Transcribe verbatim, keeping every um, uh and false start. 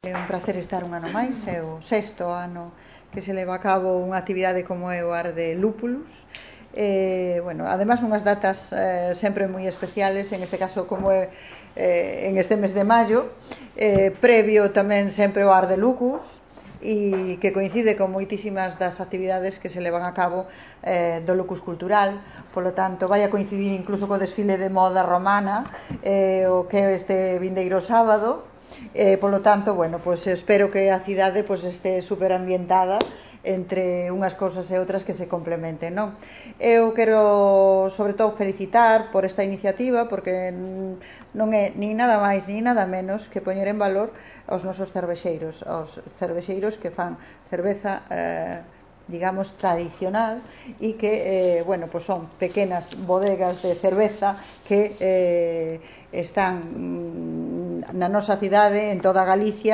É un placer estar un ano máis, é o sexto ano que se leva a cabo unha actividade como é o Ar de Lúpulos. Eh, bueno, además unhas datas eh, sempre moi especiales, en este caso como é eh, en este mes de maio, eh, previo tamén sempre o Ar de Lucus, e que coincide con moitísimas das actividades que se levan a cabo eh, do Lucus Cultural. Polo tanto, vai a coincidir incluso co desfile de moda romana, eh, o que é este vindeiro sábado. Eh, polo tanto, bueno, pues espero que a cidade pues, este super ambientada entre unhas cousas e outras que se complementen, non? Eu quero, sobre todo, felicitar por esta iniciativa, porque non é nin nada máis nin nada menos que poñer en valor aos nosos cervexeiros, aos cervexeiros que fan cerveza eh, digamos, tradicional e que, eh, bueno, pues son pequenas bodegas de cerveza que eh, están na nosa cidade, en toda Galicia.